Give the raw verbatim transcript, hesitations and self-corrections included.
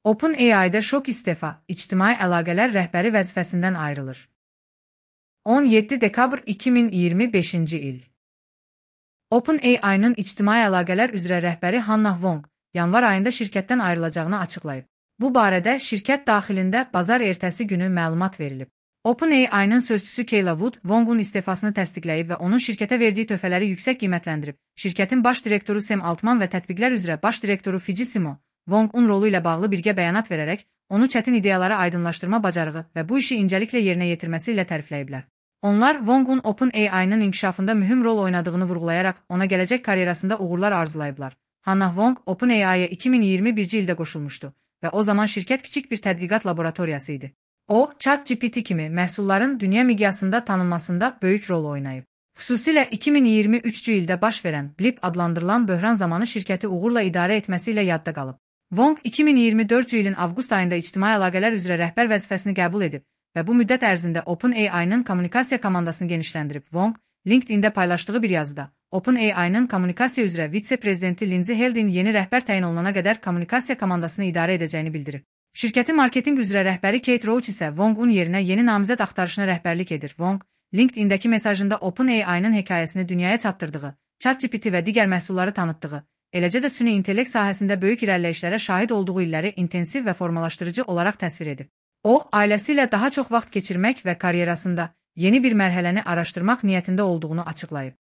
OpenAI'da şok istefa, ictimai əlaqələr rəhbəri vəzifəsindən ayrılır. on yeddi dekabr iki min iyirmi beşinci il. OpenAI'nın ictimai əlaqələr üzrə rəhbəri Hannah Wong, yanvar ayında şirkətdən ayrılacağını açıqlayıb. Bu barədə şirkət daxilində bazar ertəsi günü məlumat verilib. OpenAI'nın sözçüsü Kayla Wood, Wong'un istifasını təsdiqləyib və onun şirkətə verdiyi töhfələri yüksək qiymətləndirib. Şirkətin baş direktoru Sam Altman və tətbiqlər üzrə baş direktoru Fidji Simo, Wong'un rolu ilə bağlı birgə bəyanat verərək, onu çətin ideyaları aydınlaşdırma bacarığı və bu işi incəliklə yerinə yetirməsi ilə tərifləyiblər. Onlar Wong'un OpenAI'nın inkişafında mühüm rol oynadığını vurğulayaraq, ona gələcək karyerasında uğurlar arzulayıblar. Hannah Wong, OpenAI'ya iki min iyirmi birinci ildə qoşulmuşdu və o zaman şirkət kiçik bir tədqiqat laboratoriyası idi. O, ChatGPT kimi məhsulların dünya miqyasında tanınmasında böyük rol oynayıb. Xüsusilə iki min iyirmi üçüncü ildə baş verən Blip adlandırılan böhran zamanı şirkəti uğurla idarə etməsi ilə yadda qalıb. Wong iki min iyirmi dördüncü ilin avqust ayında ictimai əlaqələr üzrə rəhbər vəzifəsini qəbul edib və bu müddət ərzində OpenAI'nın kommunikasiya komandasını genişləndirib. Wong, LinkedIn-də paylaşdığı bir yazıda, OpenAI'nın kommunikasiya üzrə vitse-prezidenti Lindsay Heldin yeni rəhbər təyin olunana qədər kommunikasiya komandasını idarə edəcəyini bildirib. Şirkətin marketinq üzrə rəhbəri Kate Roach isə Wong'un yerinə yeni namizəd axtarışına rəhbərlik edir. Wong, LinkedIn-dəki mesajında OpenAI'nın hekayəsini dünyaya çatdırdığı, ChatGPT və digər məhsulları tanıtdığı, eləcə də süni intellekt sahəsində böyük irəliləyişlərə şahid olduğu illəri intensiv və formalaşdırıcı olaraq təsvir edib. O, ailəsi ilə daha çox vaxt keçirmək və karyerasında yeni bir mərhələni araşdırmaq niyyətində olduğunu açıqlayıb.